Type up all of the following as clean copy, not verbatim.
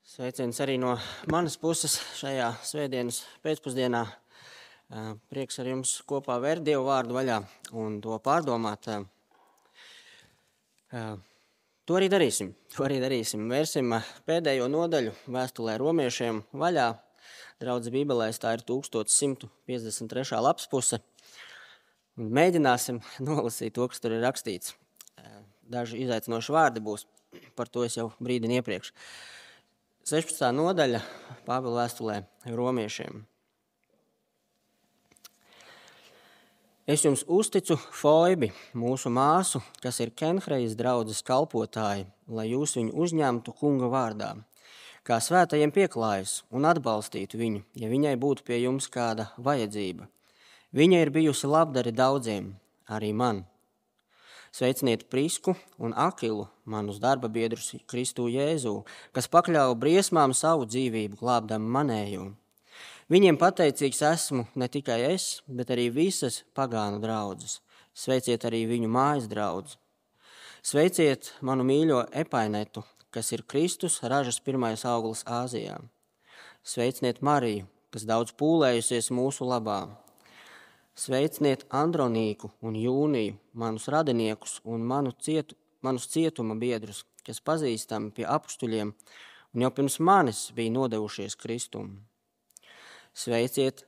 Sveiciens arī no manas puses šajā svētdienas pēcpusdienā. Prieks ar jums kopā vērt Dievu vārdu vaļā un to pārdomāt. To arī darīsim. Vērsim pēdējo nodaļu vēstulē romiešiem vaļā. Draudz Bībelēs tā ir 1153. lapspuse. Un mēģināsim nolasīt to, kas tur ir rakstīts. Daži izaicinoši vārdi būs, par to es jau brīdinu iepriekš. 16. nodaļa Pāvila vēstulē romiešiem. Es jums uzticu Foibi, mūsu māsu, kas ir Kenhrejas draudzes kalpotāji, lai jūs viņu uzņemtu kunga vārdā, kā svētajiem pieklājas un atbalstītu viņu, ja viņai būtu pie jums kāda vajadzība. Viņa ir bijusi labdari daudziem, arī man. Sveiciniet Prisku un Akilu, manus darba biedrus Kristu Jēzū, kas pakļāva briesmām savu dzīvību, glābdam manējo. Viņiem pateicīgs esmu ne tikai es, bet arī visas pagānu draudzes. Sveiciet arī viņu mājas draudzi. Sveiciet manu mīļo Epainetu, kas ir Kristus ražas pirmais auglis Āzijā. Sveiciniet Mariju, kas daudz pūlējusies mūsu labā. Sveiciniet Andronīku un Jūniju, manus radiniekus un manus cietuma biedrus, kas pazīstami pie apustuļiem un jau pirms manis bija nodevušies Kristum. Sveiciet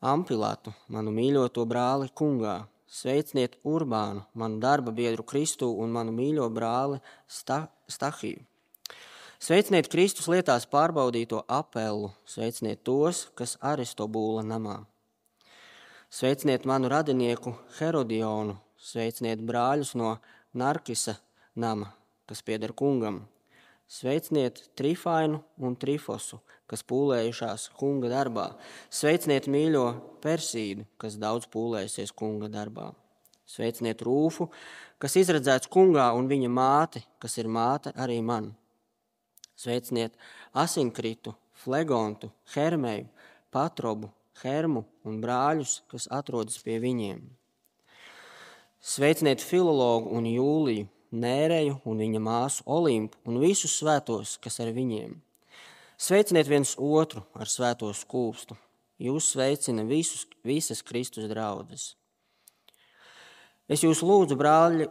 Ampilatu, manu mīļoto brāli kungā. Sveiciniet Urbānu, manu darba biedru Kristu un manu mīļo brāli Stahiju. Sveiciniet Kristus lietās pārbaudīto Apelu, sveiciniet tos, kas Aristobūla namā. Sveiciniet manu radinieku Herodionu, sveiciniet brāļus no Narkisa nama, kas pieder kungam. Sveiciniet Trifainu un Trifosu, kas pūlējušās kunga darbā. Sveiciniet mīļo Persīdu, kas daudz pūlējusies kunga darbā. Sveiciniet Rūfu, kas izredzēts kungā, un viņa māti, kas ir māte arī man. Sveiciniet Asinkritu, Flegontu, Hermeju, Patrobu, Hermu un brāļus, kas atrodas pie viņiem. Sveiciniet Filologu un Jūliju, Nēreju un viņa māsu Olimpu un visus svētos, kas ar viņiem. Sveiciniet viens otru ar svēto skūpstu. Jūs sveicina visas Kristus draudzes. Es jūs lūdzu, brāļi,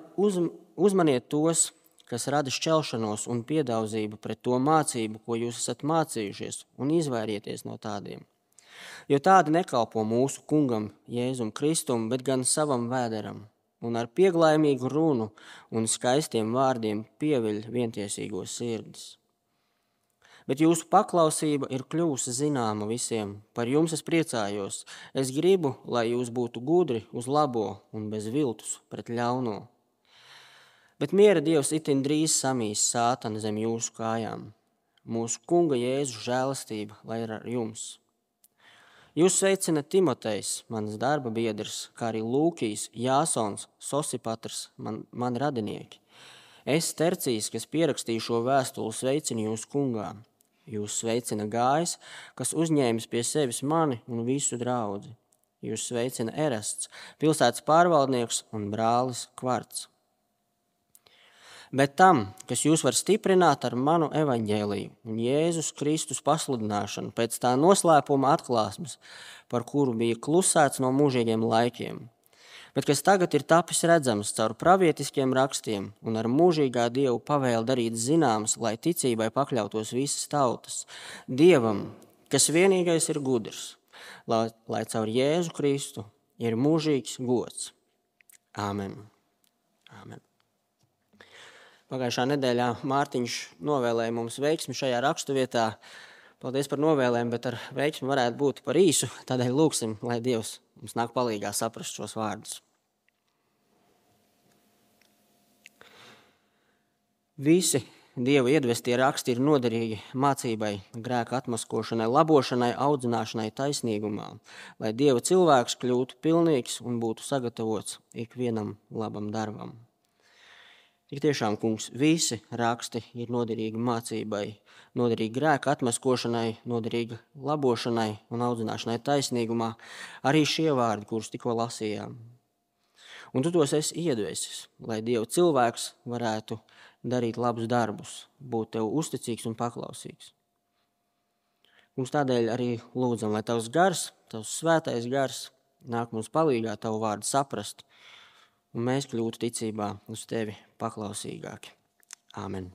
uzmaniet tos, kas rada šķelšanos un piedauzību pret to mācību, ko jūs esat mācījušies, un izvairieties no tādiem. Jo tādi nekalpo mūsu kungam Jēzum Kristum, bet gan savam vēderam, un ar pieglaimīgu runu un skaistiem vārdiem pieviļ vientiesīgos sirdis. Bet jūsu paklausība ir kļuvusi zināma visiem, par jums es priecājos. Es gribu, lai jūs būtu gudri uz labo un bez viltus pret ļauno. Bet miera Dievs itin drīz samīs sātanu zem jūsu kājām. Mūsu kunga Jēzu žēlastība, lai ir ar jums. Jūs sveicina Timotejs, mans darba biedrs, kā arī Lūkijs, Jāsons, Sosipatrs, mani radinieki. Es Tercijs, kas pierakstīju šo vēstuli, sveicinu jūs kungā. Jūs sveicina Gājs, kas uzņēmis pie sevis mani un visu draudzi. Jūs sveicina Erasts, pilsētas pārvaldnieks un brālis Kvarts. Bet tam, kas jūs var stiprināt ar manu evaņģēliju un Jēzus Kristus pasludināšanu pēc tā noslēpuma atklāsmes, par kuru bija klusēts no mūžīgiem laikiem, bet kas tagad ir tapis redzams caur pravietiskiem rakstiem un ar mūžīgā Dievu pavēli darīt zināms, lai ticībai pakļautos visas tautas, Dievam, kas vienīgais ir gudrs, lai caur Jēzu Kristu ir mūžīgs gods. Āmen. Āmen. Pagājušā nedēļā Mārtiņš novēlēja mums veiksmi šajā raksturvietā. Paldies par novēlējumu, bet ar veiksmi varētu būt par īsu. Tādēļ lūgsim, lai Dievs mums nāk palīgā saprast šos vārdus. Visi Dieva iedvestie raksti ir noderīgi mācībai, grēka atmaskošanai, labošanai, audzināšanai taisnīgumā, lai Dieva cilvēks kļūtu pilnīgs un būtu sagatavots ikvienam labam darbam. Tik tiešām, kungs, visi raksti ir noderīgi mācībai, noderīgi grēka atmaskošanai, noderīgi labošanai un audzināšanai taisnīgumā, arī šie vārdi, kurus tikko lasījām. Un tu tos esi iedvesis, lai Dieva cilvēks varētu darīt labus darbus, būt tev uzticīgs un paklausīgs. Mums tādēļ arī lūdzam, lai tavs gars, tavs svētais gars nāk mums palīgā tavu vārdu saprast, un mēs kļūtu ticībā uz tevi paklausīgāki. Āmen.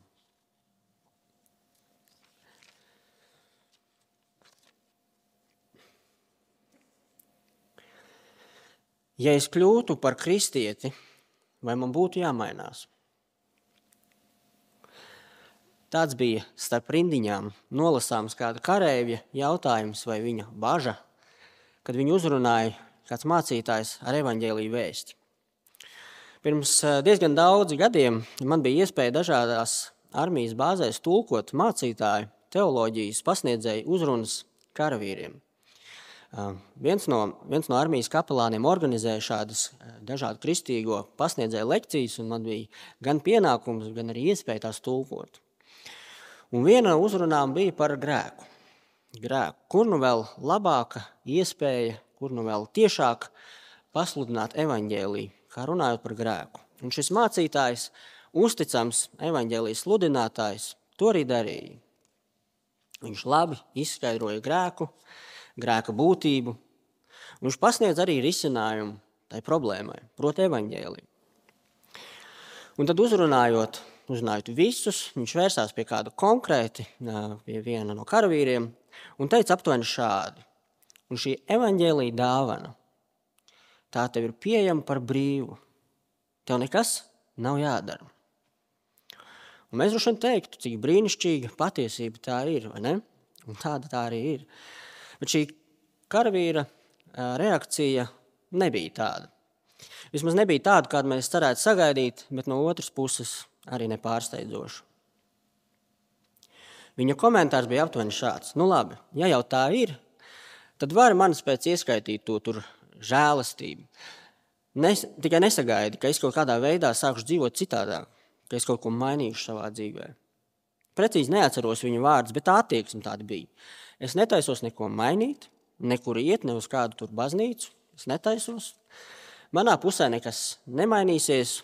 Ja es kļūtu par kristieti, vai man būtu jāmainās? Tāds bija starp rindiņām nolasāms kāda kareivja jautājums vai viņa baža, kad viņu uzrunāja kāds mācītājs ar evaņģēliju vēsti. Pirms diezgan daudz gadiem man bija iespēja dažādās armijas bāzēs tulkot mācītāju teoloģijas pasniedzēju uzrunas karavīriem. Viens no armijas kapelāniem organizēja šādas dažādu kristīgo pasniedzēju lekcijas, un man bija gan pienākums, gan arī iespēja tās tulkot. Un viena no uzrunām bija par grēku. Kur nu vēl labāka iespēja, kur nu vēl tiešāk pasludināt evaņģēliju, kā runājot par grēku. Un šis mācītājs, uzticams evaņģēlijas sludinātājs, to arī darīja. Viņš labi izskaidroja grēka būtību, un viņš pasniedz arī risinājumu tai problēmai, proti evaņģēliju. Un tad uzrunājot visus, viņš vērsās pie kāda konkrēti, pie viena no karavīriem, un teica aptuveni šādi: un šī evaņģēlija dāvana, tā tev ir pieejama par brīvu, tev nekas nav jādara. Un mēs droši vien teiktu, cik brīnišķīga patiesība tā ir, vai ne? Un tāda tā arī ir. Bet šī karavīra reakcija nebija tāda. Vismaz nebija tāda, kādu mēs cerētu sagaidīt, bet no otras puses arī nepārsteidzoša. Viņa komentārs bija aptuveni šāds: nu labi, ja jau tā ir, tad var manis pēc ieskaitīt to tur žēlastību. Tikai nesagaidi, ka es kaut kādā veidā sākušu dzīvot citādāk, ka es kaut ko mainīšu savā dzīvē. Precīzi neatceros viņa vārdus, bet tā attieksme tāda bija. Es netaisos neko mainīt, nekur iet, ne uz kādu tur baznīcu, es netaisos. Manā pusē nekas nemainīsies,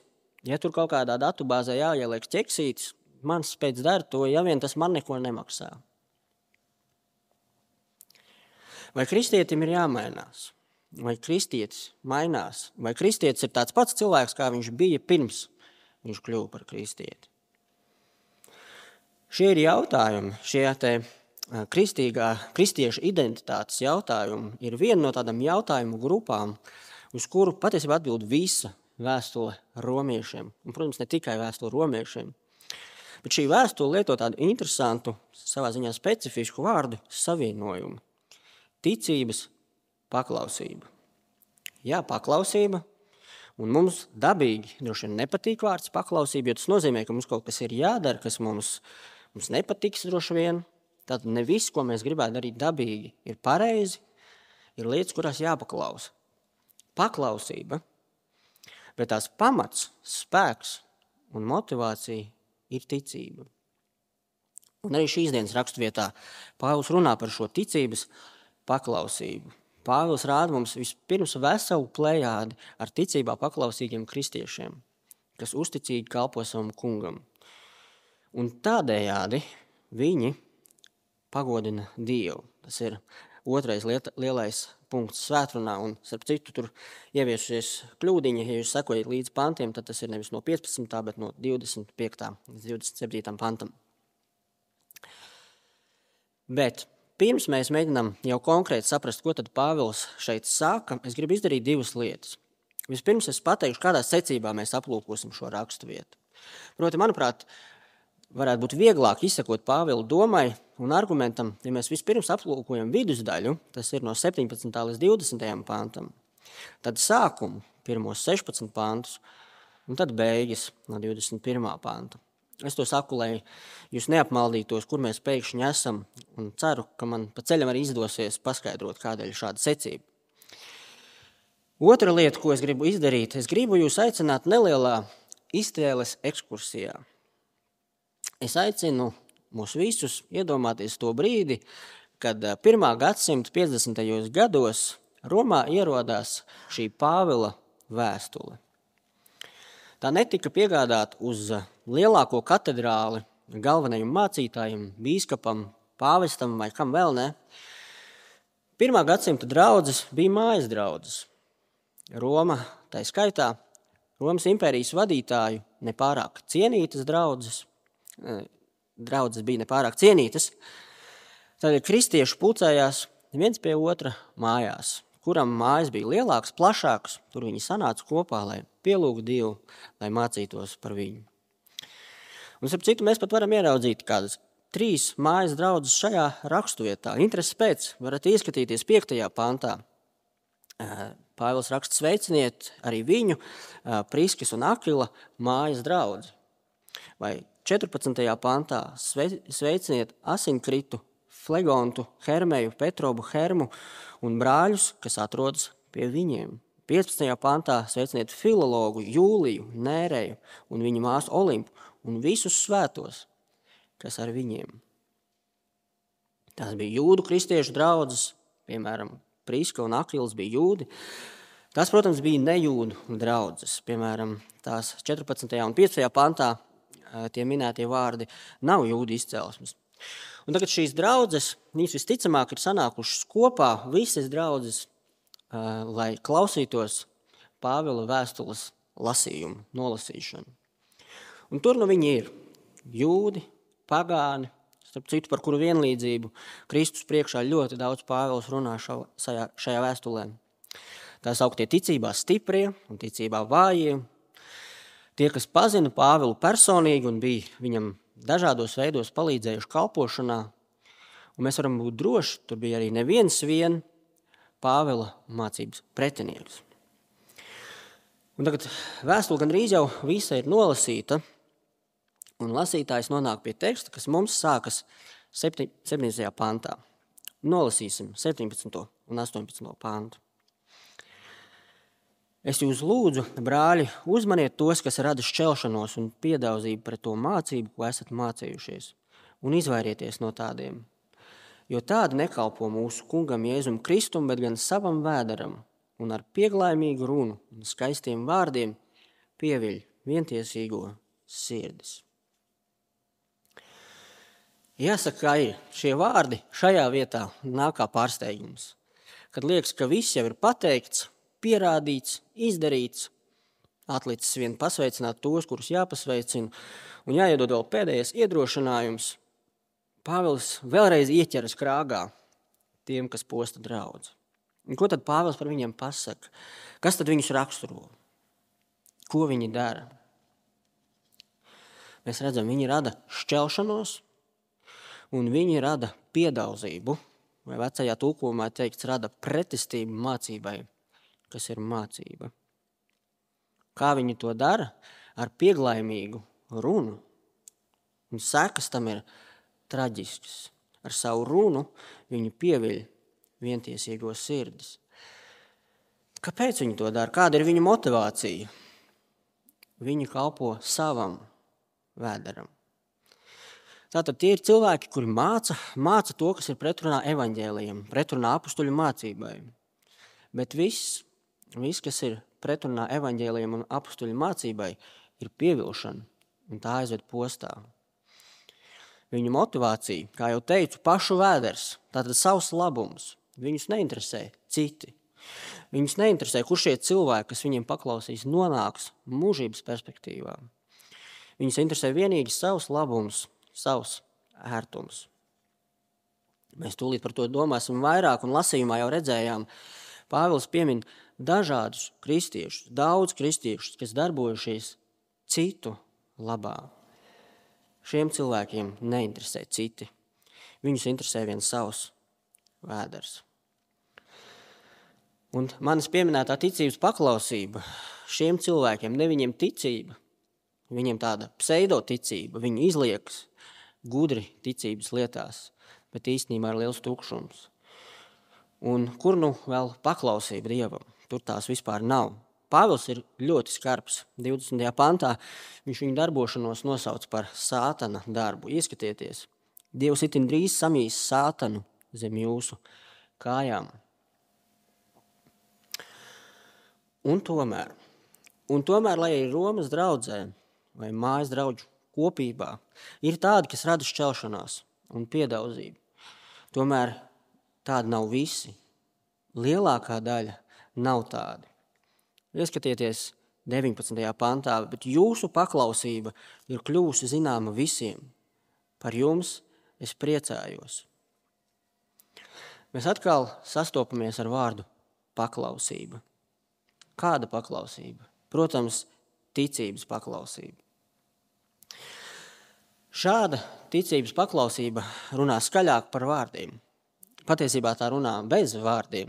ja tur kaut kādā datubāzē jāieliek ķeksītis, mans pēc dara to, ja vien tas man neko nemaksā. Vai kristietim ir jāmainās? Vai kristietis mainās? Vai kristietis ir tāds pats cilvēks, kā viņš bija pirms viņš kļuva par kristieti? Šie ir jautājumi, šie kristiešu identitātes jautājumi ir viena no tādām jautājumu grupām, uz kuru patiesībā atbild visa vēstule romiešiem. Un, protams, ne tikai vēstule romiešiem. Bet šī vēstule lieto tādu interesantu, savā ziņā specifisku vārdu savienojumu. Ticības paklausība. Jā, paklausība. Un mums dabīgi droši vien nepatīk vārds paklausība, jo tas nozīmē, ka mums kaut kas ir jādara, kas mums nepatiks droši vien. Tad ne viss, ko mēs gribētu darīt dabīgi, ir pareizi, ir lietas, kurās jāpaklausa. Paklausība, bet tās pamats, spēks un motivācija ir ticība. Un arī šīs dienas raksturvietā Pāvils runā par šo ticības paklausību. Pāvils rāda mums vispirms veselu plejādi ar ticībā paklausīgiem kristiešiem, kas uzticīgi kalpo savam kungam. Un tādējādi viņi pagodina Dievu. Tas ir otrais lielais punkts svētrunā, un starp citu tur ieviesusies kļūdiņa, ja jūs sekojat līdz pantiem, tad tas ir nevis no 15. bet no 25. līdz 27. pantam. Bet pirms mēs mēģinām jau konkrēti saprast, ko tad Pāvils šeit saka, es gribu izdarīt divas lietas. Vispirms es pateikšu, kādā secībā mēs aplūkosim šo raksturvietu. Proti, manuprāt, varētu būt vieglāk izsekot Pāvila domai un argumentam, ja mēs vispirms aplūkojam vidusdaļu, tas ir no 17. līdz 20. pantam, tad sākumu, pirmos 16 pantus, un tad beigas no 21. panta. Es to saku, lai jūs neapmaldītos, kur mēs pēkšņi esam, un ceru, ka man pa ceļam arī izdosies paskaidrot, kādēļ šāda secība. Otra lieta, ko es gribu izdarīt, es gribu jūs aicināt nelielā iztēles ekskursijā. Es aicinu mūs visus iedomāties to brīdi, kad 1. gadsimta 50. gados Romā ierodās šī Pāvila vēstule. Tā netika piegādāta uz lielāko katedrāli galvenajam mācītājam, bīskapam, pāvestam vai kam vēl ne. 1. gadsimta draudzes bija mājas draudzes. Roma, tā skaitā, Romas impērijas vadītāju nepārāk cienītas draudzes. Draudzes bija nepārāk cienītas. Tad kristieši pulcējās viens pie otra mājās, kuram mājas bija lielākas, plašākas. Tur viņi sanāca kopā, lai pielūgtu Dievu, lai mācītos par viņu. Un, starp citu, mēs pat varam ieraudzīt kādas 3 mājas draudzes šajā raksturvietā. Intereses pēc varat ieskatīties 5. pantā. Pāvils raksta: sveiciniet arī viņu, Priskis un Akila mājas draudzi. Vai 14. pantā: sveiciniet Asinkritu, Flegontu, Hermeju, Petrobu, Hermu un brāļus, kas atrodas pie viņiem. 15. pantā: sveiciniet Filologu, Jūliju, Nēreju un viņa māsu Olimpu un visus svētos, kas ar viņiem. Tās bija jūdu kristiešu draudzes, piemēram, Priska un Akils bija jūdi. Tās, protams, bija nejūdu draudzes, piemēram, tās 14. un 15. pantā tie minētie vārdi nav jūdu izcelsmes. Un tagad šīs draudzes, viņas visticamāk ir sanākušas kopā, visas draudzes, lai klausītos Pāvila vēstules lasījumu, nolasīšanu. Un tur nu viņi ir jūdi, pagāni, starp citu, par kuru vienlīdzību Kristus priekšā ļoti daudz Pāvils runā šajā vēstulē. Tā sauktie ticībā stiprie un ticībā vājie. Tie, kas pazina Pāvilu personīgi un bija viņam dažādos veidos palīdzējuši kalpošanā. Un mēs varam būt droši, tur bija arī neviens vien Pāvila mācības pretinieks. Un tagad vēstule gandrīz jau visa ir nolasīta, un lasītājs nonāk pie teksta, kas mums sākas 17. pantā. Nolasīsim 17. un 18. pantu. Es jūs lūdzu, brāļi, uzmaniet tos, kas rada šķelšanos un piedauzību pret to mācību, ko esat mācījušies, un izvairieties no tādiem. Jo tādi nekalpo mūsu kungam Jēzum Kristum, bet gan savam vēderam, un ar pieglaimīgu runu un skaistiem vārdiem pieviļ vientiesīgo sirdis. Jāsaka, ka ir šie vārdi šajā vietā nāk kā pārsteigums, kad liekas, ka viss jau ir pateikts, pierādīts, izdarīts, atlicis vien pasveicināt tos, kurus jāpasveicina, un jāiedod vēl pēdējais iedrošinājums. Pāvils vēlreiz ieķeras krāgā tiem, kas posta draudzi. Un ko tad Pāvils par viņiem pasaka? Kas tad viņus raksturo? Ko viņi dara? Mēs redzam, viņi rada šķelšanos, un viņi rada piedauzību, vai vecajā tulkojumā teikts, rada pretestību mācībai, kas ir mācība. Kā viņi to dara? Ar pieglaimīgu runu. Un sekas tam ir traģiskas. Ar savu runu viņi pieviļ vientiesīgo sirdis. Kāpēc viņi to dara? Kāda ir viņu motivācija? Viņi kalpo savam vēderam. Tātad tie ir cilvēki, kuri māca to, kas ir pretrunā evaņģēlijam, pretrunā apustuļu mācībai. Bet viss, kas ir pretrunā evaņģēlijam un apustuļu mācībai, ir pievilšana, un tā aizved postā. Viņu motivācija, kā jau teicu, pašu vēders, tātad savs labums. Viņus neinteresē citi. Viņus neinteresē, kur šie cilvēki, kas viņiem paklausīs, nonāks mūžības perspektīvā. Viņus interesē vienīgi savs labums, savs ērtums. Mēs tūlīt par to domāsim vairāk, un lasījumā jau redzējām, Pāvils piemin dažādus kristiešus, daudz kristiešus, kas darbojušies citu labā. Šiem cilvēkiem neinteresē citi. Viņus interesē viens savs vēders. Un manis pieminētā ticības paklausība šiem cilvēkiem, ne viņiem ticība, viņiem tāda pseidoticība, viņi izliekas gudri ticības lietās, bet īstenībā ir liels tukšums. Un kur nu vēl paklausība Dievam? Tur tās vispār nav. Pāvils ir ļoti skarbs. 20. pantā viņš viņu darbošanos nosauc par sātana darbu. Ieskatieties, Dievs itin drīz samīs sātanu zem jūsu kājām. Un tomēr, lai arī Romas draudzē vai mājas draudžu kopībā ir tādi, kas rada šķelšanās un piedauzību, Tomēr tādi nav visi. Lielākā daļa nav tādi. Ieskatieties 19. pantā, bet jūsu paklausība ir kļuvusi zināma visiem. Par jums es priecājos. Mēs atkal sastopamies ar vārdu paklausība. Kāda paklausība? Protams, ticības paklausība. Šāda ticības paklausība runā skaļāk par vārdiem. Patiesībā tā runā bez vārdiem.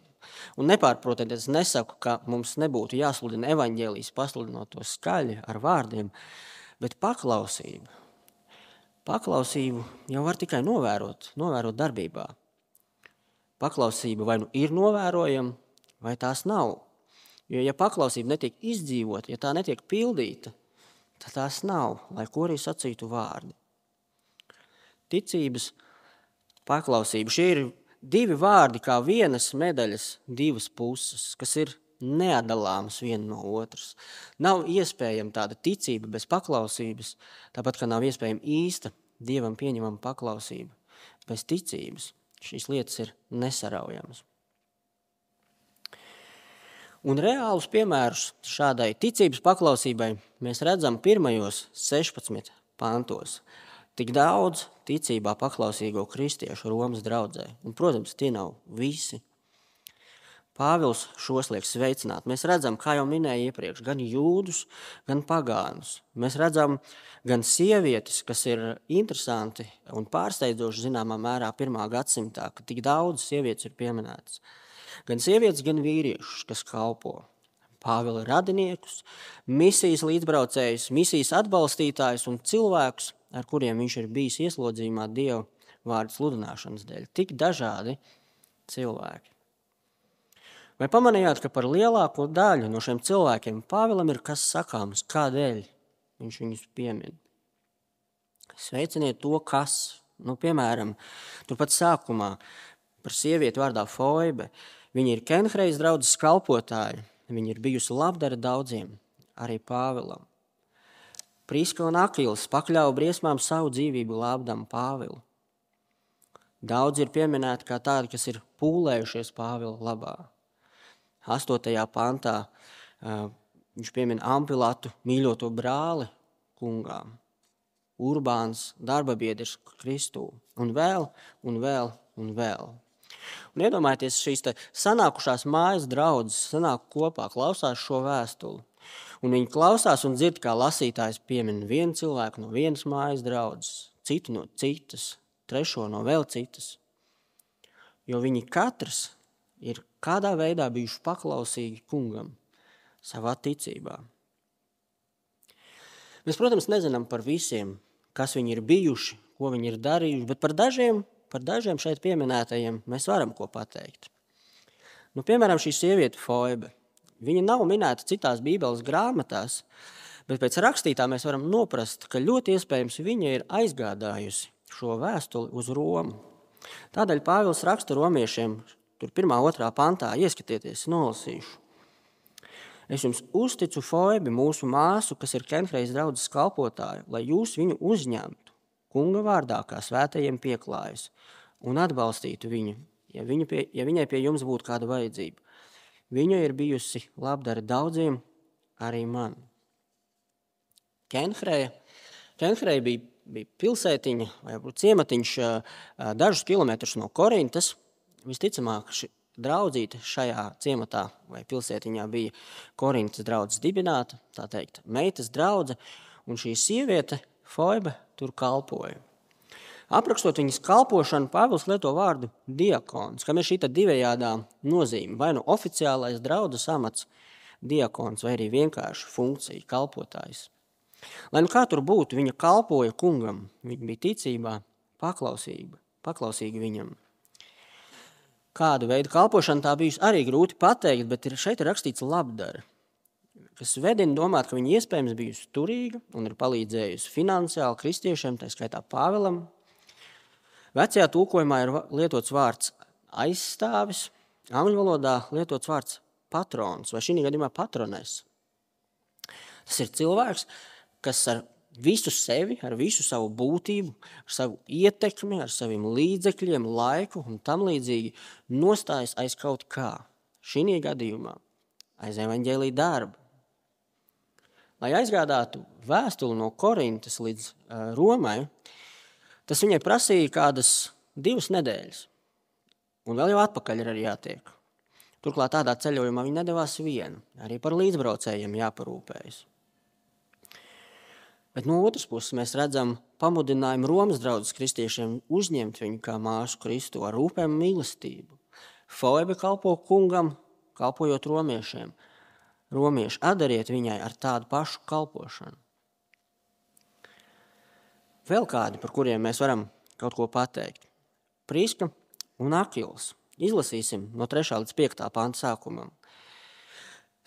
Un nepārprotiet, es nesaku, ka mums nebūtu jāsludina evaņģēlijs, pasludinot to skaļi ar vārdiem, bet paklausību jau var tikai novērot darbībā. Paklausība vai nu ir novērojama, vai tās nav. Jo, ja paklausība netiek izdzīvota, ja tā netiek pildīta, tad tās nav, lai ko arī sacītu vārdi. Ticības paklausība. Šie ir divi vārdi kā vienas medaļas divas puses, kas ir neatdalāmas viena no otras. Nav iespējama tāda ticība bez paklausības, tāpat kā nav iespējama īsta Dievam pieņemama paklausība. Bez ticības šīs lietas ir nesaraujamas. Un reālus piemērus šādai ticības paklausībai mēs redzam pirmajos 16 pantos. Tik daudz ticībā paklausīgo kristiešu Romas draudzē. Un, protams, tie nav visi. Pāvils šos liek sveicināt. Mēs redzam, kā jau minēju iepriekš, gan jūdus, gan pagānus. Mēs redzam gan sievietes, kas ir interesanti un pārsteidzoši zināmā mērā 1. gadsimtā, ka tik daudz sievietes ir pieminētas. Gan sievietes, gan vīriešus, kas kalpo. Pāvila radiniekus, misijas līdzbraucējus, misijas atbalstītājus un cilvēkus, ar kuriem viņš ir bijis ieslodzījumā Dieva vārdu sludināšanas dēļ. Tik dažādi cilvēki. Vai pamanījāt, ka par lielāko daļu no šiem cilvēkiem Pāvilam ir kas sakāms, kādēļ viņš viņus piemin? Sveiciniet to, kas. Piemēram, turpat sākumā par sievieti vārdā Foibe. Viņa ir Kenhrejas draudzes kalpotāja. Viņa ir bijusi labdara daudziem, arī Pāvilam. Priska un Akils pakļauja briesmām savu dzīvību glābdam Pāvilu. Daudz ir pieminēti kā tādi, kas ir pūlējušies Pāvila labā. 8. pantā viņš piemina Ampilatu mīļoto brāli kungām, Urbāns darbabiedrs Kristū, un vēl, un vēl, un vēl. Un iedomājieties, šīs sanākušās mājas draudzes sanāk kopā, klausās šo vēstuli. Un viņi klausās un dzird, kā lasītājs piemina vienu cilvēku no vienas mājas draudzes, citu no citas, trešo no vēl citas. Jo viņi katrs ir kādā veidā bijuši paklausīgi kungam savā ticībā. Mēs, protams, nezinām par visiem, kas viņi ir bijuši, ko viņi ir darījuši, bet par dažiem šeit pieminētajiem mēs varam ko pateikt. Piemēram, šī sieviete Foibe. Viņa nav minēta citās Bībeles grāmatās, bet pēc rakstītā mēs varam noprast, ka ļoti iespējams viņa ir aizgādājusi šo vēstuli uz Romu. Tādēļ Pāvils raksta romiešiem, tur 1. 2. pantā, ieskatieties, nolasīšu. Es jums uzticu Foibi, mūsu māsu, kas ir Kenhrejas draudzes kalpotāja, lai jūs viņu uzņemtu kunga vārdā, kā svētajiem pieklājas, un atbalstītu viņu, ja viņai pie jums būtu kāda vajadzība. Viņa ir bijusi labdara daudziem, arī man. Kenhreja bija pilsētiņa vai ciematiņš dažus kilometrus no Korintas. Visticamāk, draudzīte šajā ciematā vai pilsētiņā bija Korintas draudzes dibināta, tā teikt, meitas draudze, un šī sieviete Foibe tur kalpoja. Aprakstot viņas kalpošanu, Pāvils lieto vārdu diakons, kam ir šī divējādā nozīme, vai nu oficiālais draudzes amats diakons, vai arī vienkārši funkcija kalpotājs. Lai nu kā tur būtu, viņa kalpoja kungam, viņa bija ticībā paklausīga viņam. Kādu veidu kalpošana tā bijusi arī grūti pateikt, bet šeit ir rakstīts labdara, kas vedina domāt, ka viņa iespējams bijusi turīga un ir palīdzējusi finansiāli kristiešiem, tā skaitā Pāvilam. Vecajā tulkojumā ir lietots vārds aizstāvis, angļu valodā lietots vārds patrons, vai šī gadījumā patrones. Tas ir cilvēks, kas ar visu sevi, ar visu savu būtību, ar savu ietekmi, ar saviem līdzekļiem, laiku un tam līdzīgi nostājas aiz kaut kā. Šī gadījumā aiz evaņģēlija darba. Lai aizgādātu vēstuli no Korintas līdz Romai, tas viņai prasīja kādas 2 nedēļas. Un vēl jau atpakaļ ir arī jātiek. Turklāt tādā ceļojumā viņa nedavās viena. Arī par līdzbraucējiem jāparūpējas. Bet no otras puses mēs redzam pamudinājumu Romas draudzes kristiešiem uzņemt viņu kā māsu Kristu ar rūpēm un mīlestību. Foibe kalpo kungam, kalpojot romiešiem. Romieši, atdariet viņai ar tādu pašu kalpošanu. Vēl kādi, par kuriem mēs varam kaut ko pateikt. Priska un Akils. Izlasīsim no 3. līdz 5. panta sākumam.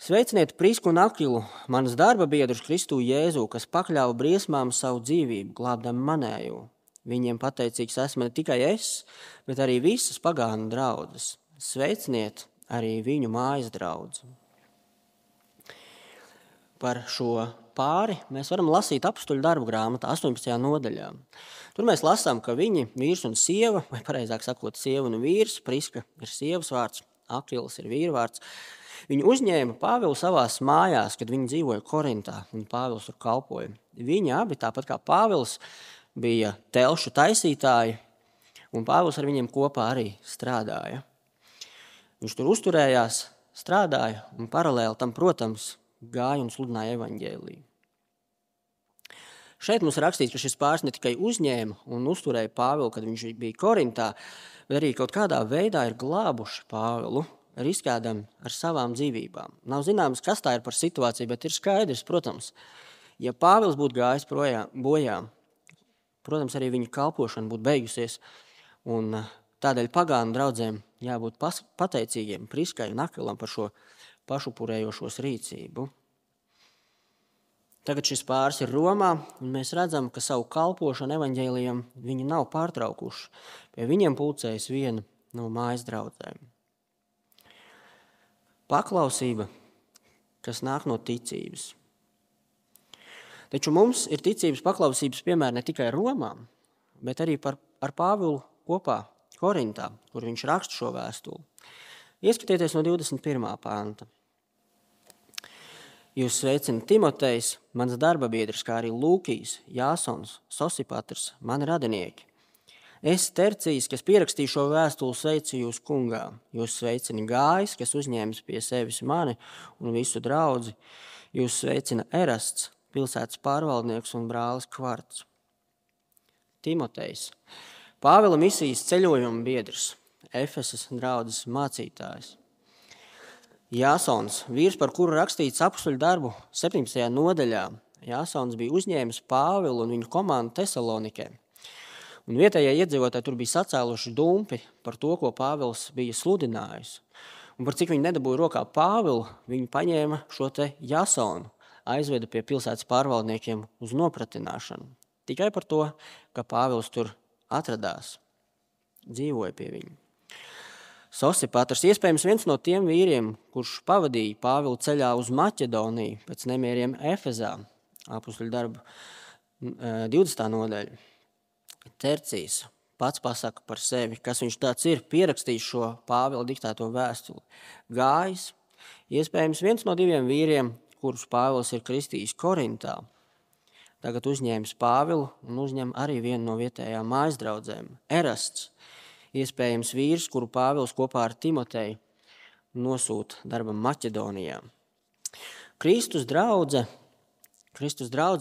Sveiciniet Prisku un Akilu, manas darba biedrus Kristu Jēzu, kas pakļāva briesmām savu dzīvību, glābdami manējo. Viņiem pateicīgs esmu ne tikai es, bet arī visas pagānu draudzes. Sveiciniet arī viņu mājas draudzi. Par šo pāri mēs varam lasīt Apostoļu darbu grāmatā 18. nodaļā. Tur mēs lasām, ka viņi, vīrs un sieva, vai pareizāk sakot, sieva un vīrs, Priska ir sievas vārds, Akils ir vīra vārds, viņi uzņēma Pāvilu savās mājās, kad viņi dzīvoja Korintā, un Pāvils tur kalpoja. Viņi abi, tāpat kā Pāvils, bija telšu taisītāji, un Pāvils ar viņiem kopā arī strādāja. Viņš tur uzturējās, strādāja, un paralēli tam, protams, gāja un sludināja evaņģēliju. Šeit mums rakstīts, ka šis pāris ne tikai uzņēma un uzturēja Pāvilu, kad viņš bija Korintā, bet arī kaut kādā veidā ir glābuši Pāvilu, riskēdami ar savām dzīvībām. Nav zināms, kas tā ir par situāciju, bet ir skaidrs, protams, ja Pāvils būtu gājis bojā, protams, arī viņa kalpošana būtu beigusies, un tādēļ pagānu draudzēm jābūt pateicīgiem Priskai un Akilam par šo pašupurējošos rīcību. Tagad šis pāris ir Romā, un mēs redzam, ka savu kalpošanu evaņģēlijam viņi nav pārtraukuši. Pie viņiem pulcējas viena no mājas draudzēm. Paklausība, kas nāk no ticības. Taču mums ir ticības paklausības piemēri ne tikai Romā, bet arī ar Pāvilu kopā Korintā, kur viņš raksta šo vēstuli. Ieskatieties no 21. panta. Jūs sveicina Timotejs, mans darba biedrs, kā arī Lūkijs, Jāsons, Sosipatrs, mani radinieki. Es, Tercijs, kas pierakstīju šo vēstuli, sveicu jūs kungā. Jūs sveicina Gājs, kas uzņēmis pie sevis mani un visu draudzi. Jūs sveicina Erasts, pilsētas pārvaldnieks un brālis Kvarts. Timotejs, Pāvila misijas ceļojuma biedrs, Efesas draudzes mācītājs. Jāsons, vīrs, par kuru rakstīts Apostoļu darbu 17. nodaļā. Jāsons bija uzņēmis Pāvilu un viņu komandu Tesalonikē. Un vietējie iedzīvotāji tur bija sacēluši dumpi par to, ko Pāvils bija sludinājis. Un par cik viņi nedabūja rokā Pāvilu, viņi paņēma šo te Jāsonu, aizveda pie pilsētas pārvaldniekiem uz nopratināšanu. Tikai par to, ka Pāvils tur atradās, dzīvoja pie viņa. Sosipatrs, iespējams viens no tiem vīriem, kurš pavadīja Pāvilu ceļā uz Maķedoniju pēc nemieriem Efezā, Apostoļu darbu 20. nodaļa. Tercijs pats pasaka par sevi, kas viņš tāds ir, pierakstījis šo Pāvila diktēto vēstuli. Gājis, iespējams viens no 2 vīriem, kurus Pāvils ir kristījis Korintā. Tagad uzņēmis Pāvilu un uzņem arī vienu no vietējām mājas draudzēm. Erasts, iespējams vīrs, kuru Pāvils kopā ar Timoteju nosūta darbam Maķedonijā. Kristus draudze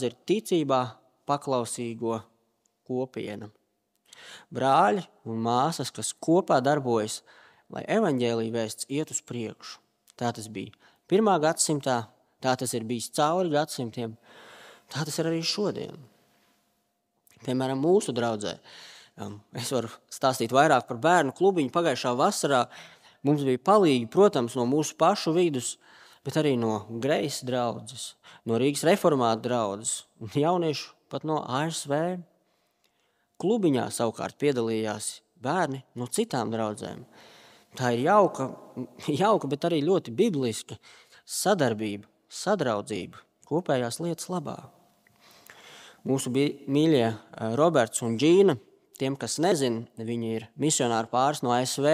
ir ticībā paklausīgo kopiena. Brāļi un māsas, kas kopā darbojas, lai evaņģēlija vēsts iet uz priekšu. Tā tas bija 1. gadsimtā, tā tas ir bijis cauri gadsimtiem, tā tas ir arī šodien. Piemēram, mūsu draudzē. Es varu stāstīt vairāk par bērnu klubiņu. Pagājušā vasarā mums bija palīgi, protams, no mūsu pašu vidus, bet arī no Grejas draudzes, no Rīgas reformātu draudzes un jauniešu pat no ASV. Klubiņā savukārt piedalījās bērni no citām draudzēm. Tā ir jauka, bet arī ļoti bibliska sadarbība, sadraudzība, kopējās lietas labā. Mūsu mīļie Roberts un Džīna, tiem, kas nezin, viņi ir misionāri pāris no ASV,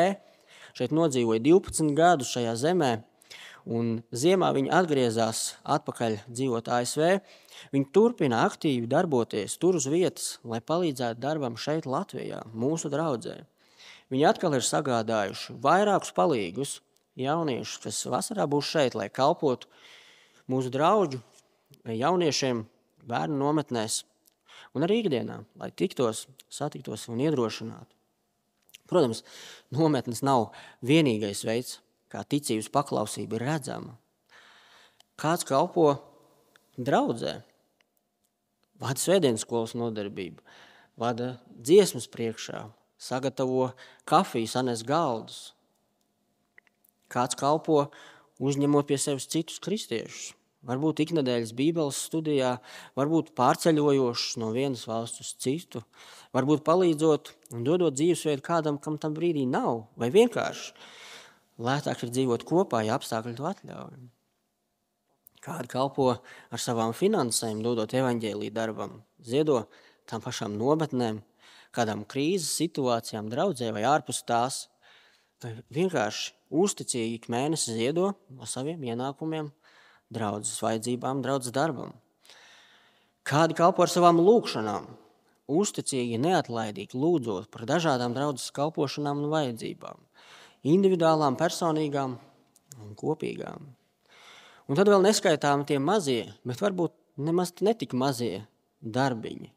šeit nodzīvoja 12 gadus šajā zemē, un ziemā viņi atgriezās atpakaļ dzīvot ASV. Viņi turpina aktīvi darboties tur uz vietas, lai palīdzētu darbam šeit Latvijā, mūsu draudzē. Viņi atkal ir sagādājuši vairākus palīgus jauniešus, kas vasarā būs šeit, lai kalpotu mūsu draugu jauniešiem bērnu nometnēs un arī ikdienā, lai tiktos, satiktos un iedrošinātu. Protams, nometnes nav vienīgais veids, kā ticības paklausība ir redzama. Kāds kalpo draudzē, vada svētdienas skolas nodarbību, vada dziesmas priekšā, sagatavo kafiju, sanes galdus. Kāds kalpo uzņemot pie sevis citus kristiešus, varbūt iknedēļas bībeles studijā, varbūt pārceļojošs no vienas valsts uz citu, varbūt palīdzot un dodot dzīvesveidu kādam, kam tam brīdī nav, vai vienkārši lētāk ir dzīvot kopā, ja apstākļi to atļauj. Kādi kalpo ar savām finansēm, dodot evaņģēliju darbam, ziedo tām pašām nometnēm, kādām krīzes situācijām draudzē vai ārpus tās, vai vienkārši uzticīgi ik mēnesi ziedo no saviem ienākumiem draudzes vajadzībām, draudzes darbam. Kādi kalpo ar savām lūkšanām, uzticīgi, neatlaidīgi lūdzot par dažādām draudzes kalpošanām un vajadzībām, individuālām, personīgām un kopīgām. Un tad vēl neskaitām tie mazie, bet varbūt nemaz netik mazie darbiņi.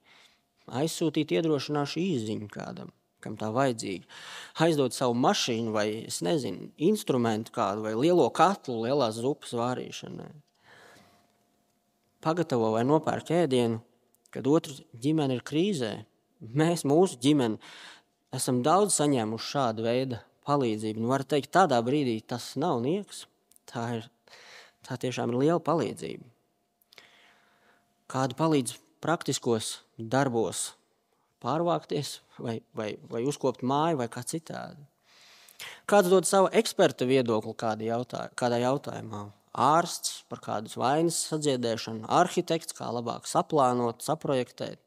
Aizsūtīt iedrošināšu īsziņu kādam, kam tā vajadzīga. Aizdot savu mašīnu vai, instrumentu kādu vai lielo katlu lielās zupas vārīšanai. Pagatavo vai nopērk ēdienu, kad otra ģimene ir krīzē. Mēs, mūsu ģimene, esam daudz saņēmuši šādu veidu palīdzību. Var teikt, tādā brīdī tas nav nieks. Tā tiešām ir liela palīdzība. Kādu palīdz praktiskos darbos pārvākties vai uzkopt māju vai kā citādi. Kāds dod savu eksperta viedokli kādā jautājumā. Ārsts par kādas vainas sadziedēšanu, arhitekts, kā labāk saplānot, saprojektēt,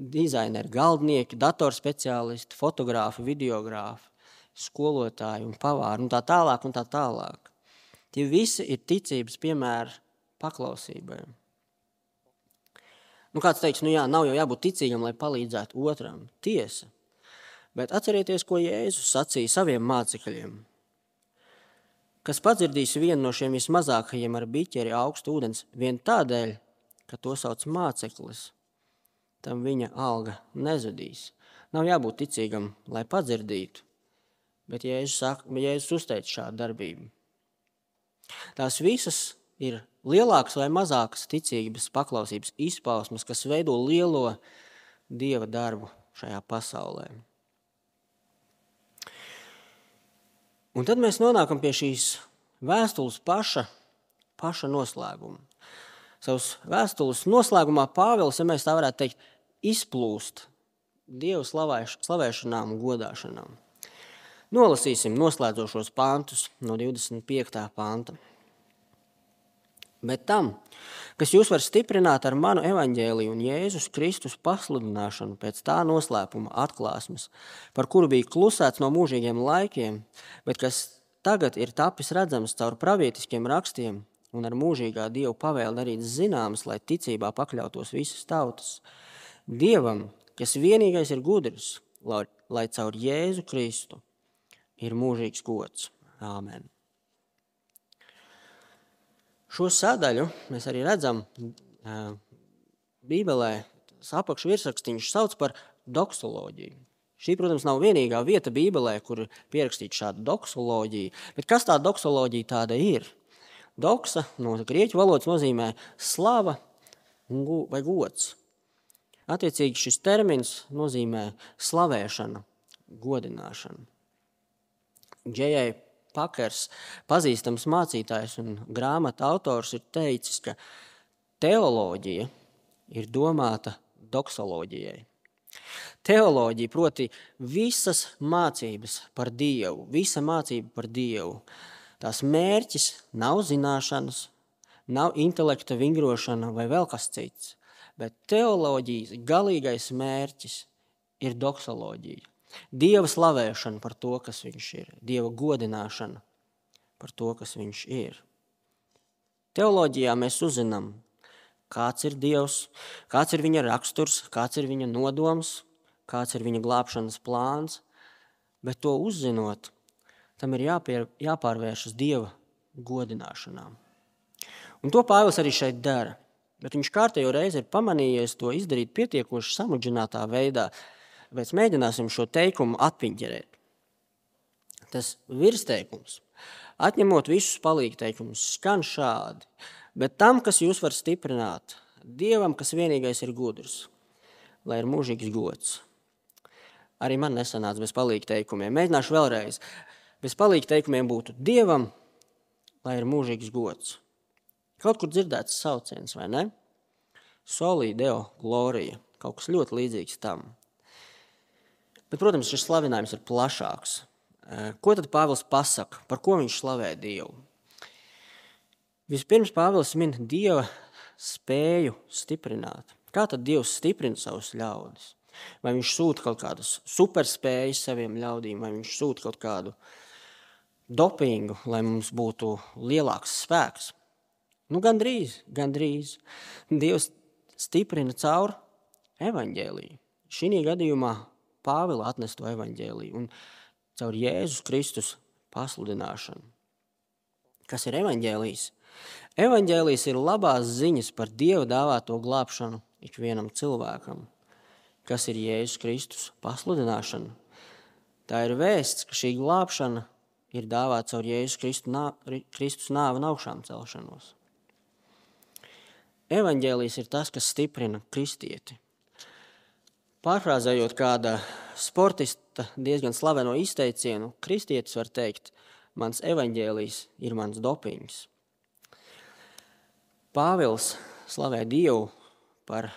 dizaineri, galdnieki, datorspeciālisti, fotogrāfi, videogrāfi, skolotāji un pavāri un tā tālāk un tā tālāk. Tie visi ir ticības piemēri paklausībai. Kāds teiks, nav jau jābūt ticīgam, lai palīdzētu otram. Tiesa. Bet atcerieties, ko Jēzus sacīja saviem mācekļiem. Kas padzirdīs vienu no šiem vismazākajiem ar biķeri augstu ūdens, vien tādēļ, ka to sauc māceklis, tam viņa alga nezudīs. Nav jābūt ticīgam, lai padzirdītu, bet Jēzus uzteica šādu darbību. Tās visas ir lielākas vai mazākas ticības paklausības izpausmes, kas veido lielo Dieva darbu šajā pasaulē. Un tad mēs nonākam pie šīs vēstules paša noslēguma. Savas vēstules noslēgumā Pāvils, ja mēs tā varētu teikt, izplūst Dievu slavēšanām un godāšanām. Nolasīsim noslēdzošos pantus no 25. panta. Bet tam, kas jūs var stiprināt ar manu evaņģēliju un Jēzus Kristus pasludināšanu pēc tā noslēpuma atklāsmes, par kuru bija klusēts no mūžīgiem laikiem, bet kas tagad ir tapis redzams caur pravietiskiem rakstiem un ar mūžīgā Dievu pavēli darīts zināms, lai ticībā pakļautos visas tautas. Dievam, kas vienīgais ir gudrs, lai caur Jēzu Kristu ir mūžīgs gods. Āmen. Šo sadaļu mēs arī redzam Bībelē, apakšvirsrakstiņš sauc par doksoloģiju. Šī, protams, nav vienīgā vieta Bībelē, kur pierakstīta šāda doksoloģija, bet kas tā doksoloģija tāda ir? Doksa no grieķu valodas nozīmē slava vai gods. Attiecīgi šis termins nozīmē slavēšana, godināšana. J.A. Pakers, pazīstams mācītājs un grāmata autors, ir teicis, ka teoloģija ir domāta doksoloģijai. Teoloģija, proti visas mācības par Dievu, visa mācība par Dievu. Tās mērķis nav zināšanas, nav intelekta vingrošana vai vēl kas cits, Bet teoloģijas galīgais mērķis ir doksoloģija. Dieva slavēšana par to, kas viņš ir. Dieva godināšana par to, kas viņš ir. Teoloģijā mēs uzzinām, kāds ir Dievs, kāds ir viņa raksturs, kāds ir viņa nodoms, kāds ir viņa glābšanas plāns, bet to uzzinot, tam ir jāpārvēršas Dieva godināšanā. Un to Pāvils arī šeit dara, bet viņš kārtējo reizi ir pamanījies to izdarīt pietiekoši samudžinātā veidā, bet mēģināsim šo teikumu atpiņķerēt. Tas virsteikums, atņemot visus palīgteikumus, skan šādi, bet tam, kas jūs var stiprināt, Dievam, kas vienīgais ir gudrs, lai ir mūžīgs gods. Arī man nesanāca bez palīgteikumiem. Mēģināšu vēlreiz. Bez palīgteikumiem būtu Dievam, lai ir mūžīgs gods. Kaut kur dzirdēts sauciens, vai ne? Soli Deo Gloria, kaut kas ļoti līdzīgs tam. Bet, protams, šis slavinājums ir plašāks. Ko tad Pāvils pasaka? Par ko viņš slavē Dievu? Vispirms Pāvils min Dieva spēju stiprināt. Kā tad Dievs stiprina savus ļaudis? Vai viņš sūta kaut kādas superspējas saviem ļaudīm, vai viņš sūta kaut kādu dopingu, lai mums būtu lielāks spēks? Gandrīz. Dievs stiprina caur evaņģēliju. Šī gadījumā Pāvila atnesto evaņģēliju un caur Jēzus Kristus pasludināšanu. Kas ir evaņģēlijs? Evaņģēlijs ir labās ziņas par Dieva dāvāto glābšanu ikvienam cilvēkam. Kas ir Jēzus Kristus pasludināšana? Tā ir vēsts, ka šī glābšana ir dāvāta caur Jēzus Kristus nāvi un augšām celšanos. Evaņģēlijs ir tas, kas stiprina kristieti. Pārfrāzējot kāda sportista diezgan slaveno izteicienu, kristietis var teikt, mans evaņģēlijs ir mans dopings. Pāvils slavē Dievu par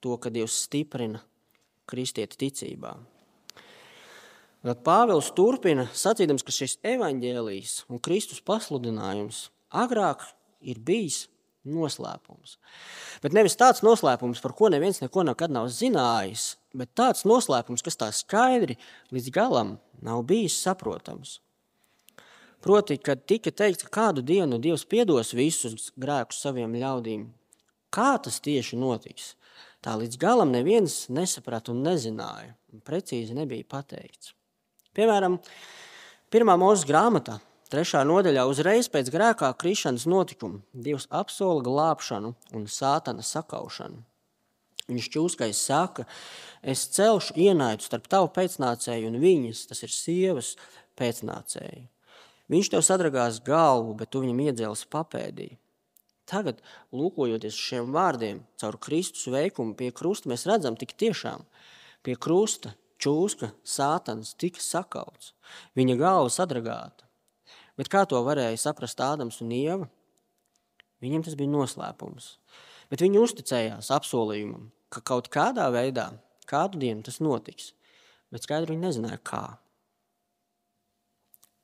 to, ka Dievs stiprina kristieti ticībā. Tad Pāvils turpina sacīdams, ka šis evaņģēlijs un Kristus pasludinājums agrāk ir bijis noslēpums. Bet nevis tāds noslēpums, par ko neviens neko nekad nav zinājis, bet tāds noslēpums, kas tā skaidri līdz galam nav bijis saprotams. Proti, kad tika teikts, ka kādu dienu Dievs piedos visus grēkus saviem ļaudīm, kā tas tieši notiks? Tā līdz galam neviens nesaprata un nezināja, un precīzi nebija pateikts. Piemēram, 1. Mūzes grāmatā, 3. nodaļā uzreiz pēc grēkā krišanas notikuma Dievs apsola glābšanu un sātana sakaušanu. Viņš ķūskais saka, es celšu ienaidu starp tavu pēcnācēju un viņas, tas ir sievas pēcnācēju. Viņš tev sadragās galvu, bet tu viņam iedzēlis papēdī. Tagad, lūkojoties šiem vārdiem, caur Kristus veikumu pie krusta, mēs redzam tik tiešām pie krusta ķūska sātans tika sakauts, viņa galva sadragāta. Bet kā to varēja saprast Ādams un Ieva? Viņiem tas bija noslēpums. Bet viņi uzticējās apsolījumam, ka kaut kādā veidā, kādu dienu tas notiks, bet skaidri viņi nezināja kā.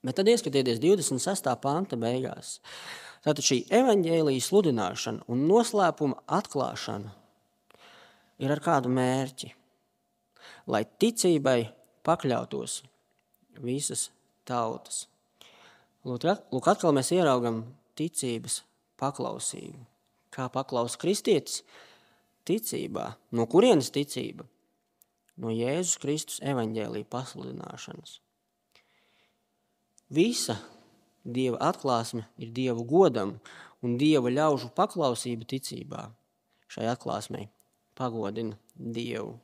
Bet tad ieskatieties 26. panta beigās. Tātad šī evaņģēlija sludināšana un noslēpuma atklāšana ir ar kādu mērķi, lai ticībai pakļautos visas tautas. Lūk, atkal mēs ieraugam ticības paklausību. Kā paklaus kristietis? Ticībā. No kurienes ticība? No Jēzus Kristus evaņģēlija pasludināšanas. Visa Dieva atklāsme ir Dievu godam un Dieva ļaužu paklausība ticībā. Šai atklāsmei pagodina Dievu.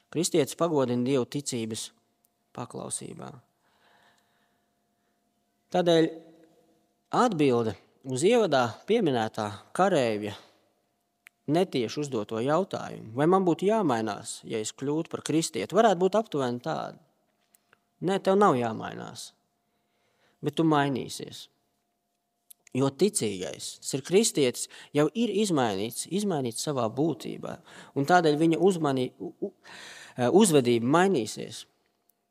Kristietis pagodina Dievu ticības paklausībā. Tādēļ atbilde uz ievadā pieminētā kareivja netieši uzdoto jautājumu, vai man būtu jāmainās, ja es kļūtu par kristieti, varētu būt aptuveni tāda. Nē, tev nav jāmainās, bet tu mainīsies. Jo ticīgais, tas ir kristietis, jau ir izmainīts savā būtībā, un tādēļ viņa uzvedība mainīsies.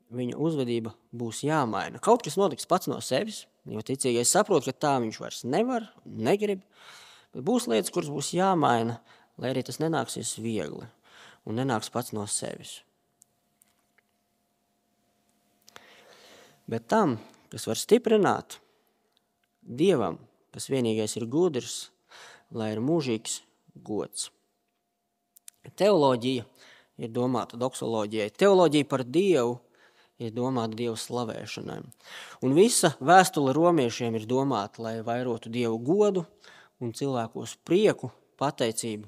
Viņa uzvedība būs jāmaina. Kaut kas notiks pats no sevis, jo ticīgais saprot, ka tā viņš vairs nevar, negrib, bet būs lietas, kuras būs jāmaina, lai arī tas nenāksies viegli un nenāks pats no sevis. Bet tam, kas var stiprināt, Dievam, kas vienīgais ir gudrs, lai ir mūžīgs gods. Teoloģija ir domāta doksoloģijai. Teoloģija par Dievu ir domāta Dieva slavēšanai. Un visa vēstule romiešiem ir domāta, lai vairotu Dievu godu un cilvēkos prieku, pateicību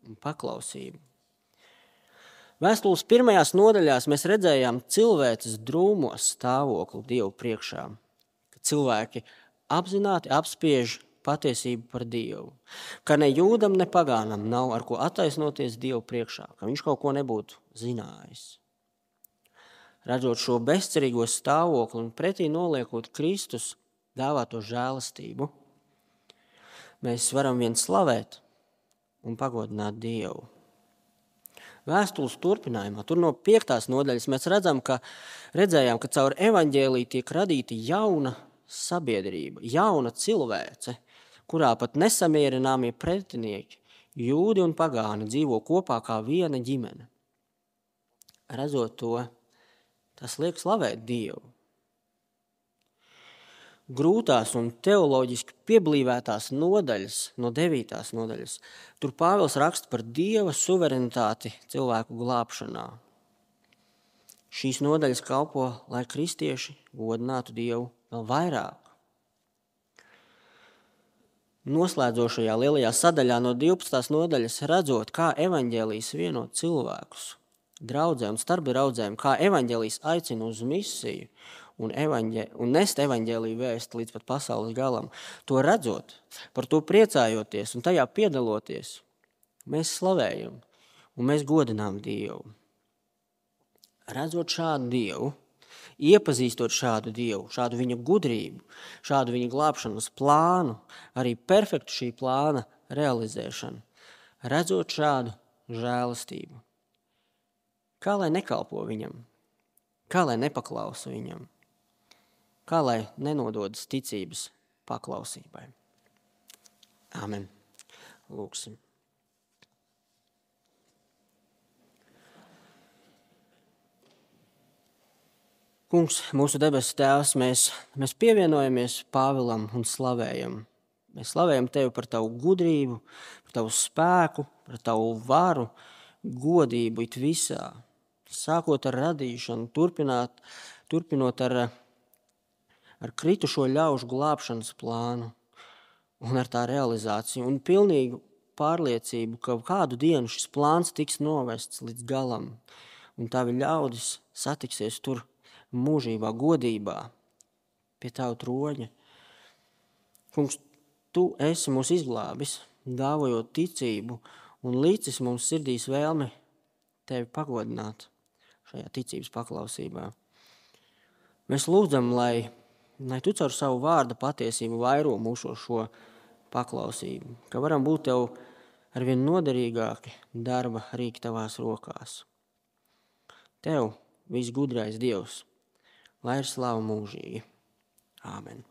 un paklausību. Vēstules pirmajās nodaļās mēs redzējām cilvēces drūmos stāvokli Dievu priekšā, ka cilvēki apzināti apspiež patiesību par Dievu, ka ne jūdam, ne pagānam nav ar ko attaisnoties Dievu priekšā, ka viņš kaut ko nebūtu zinājis. Redzot šo bezcerīgo stāvokli un pretī noliekot Kristus dāvāto žēlastību, mēs varam vien slavēt un pagodināt Dievu. Vēstules turpinājumā, tur no 5. nodaļas mēs redzējām, ka caur evaņģēliju tiek radīta jauna sabiedrība, jauna cilvēce, kurā pat nesamierināmie pretinieki, jūdi un pagāni, dzīvo kopā kā viena ģimene. Redzot to, tas liek slavēt Dievu. Grūtās un teoloģiski pieblīvētās nodaļas, no 9. nodaļas, tur Pāvils raksta par Dieva suverenitāti cilvēku glābšanā. Šīs nodaļas kalpo, lai kristieši godinātu Dievu vēl vairāk. Noslēdzošajā lielajā sadaļā no 12. nodaļas redzot, kā evaņģēlijs vieno cilvēkus, draudzē un starp draudzēm, kā evaņģēlijs aicina uz misiju un nest evaņģēliju vēsti līdz pat pasaules galam. To redzot, par to priecājoties un tajā piedaloties, mēs slavējam un mēs godinām Dievu. Redzot šādu Dievu, iepazīstot šādu Dievu, šādu viņa gudrību, šādu viņa glābšanas plānu, arī perfektu šī plāna realizēšanu, redzot šādu žēlastību. Kā lai nekalpo viņam, kā lai nepaklausa viņam, kā lai nenododas ticības paklausībai. Āmen. Lūksim. Kungs, mūsu debesu Tēvs, mēs pievienojamies Pāvilam un slavējam. Mēs slavējam Tevi par Tavu gudrību, par Tavu spēku, par Tavu varu, godību it visā. Sākot ar radīšanu, turpinot ar kritušo ļaužu glābšanas plānu un ar tā realizāciju un pilnīgu pārliecību, ka kādu dienu šis plāns tiks novests līdz galam un Tavi ļaudis satiksies tur mūžībā, godībā, pie Tavu troņa. Kungs, Tu esi mūs izglābis, dāvojot ticību un licis mums sirdīs vēlmi Tevi pagodināt šajā ticības paklausībā. Mēs lūdzam, lai Tu caur savu vārda patiesību vairo mūsu šo paklausību, ka varam būt Tev arvien noderīgāki darba rīki Tavās rokās. Tev, visgudrais Dievs, lai ir slava mūžīgi. Āmen.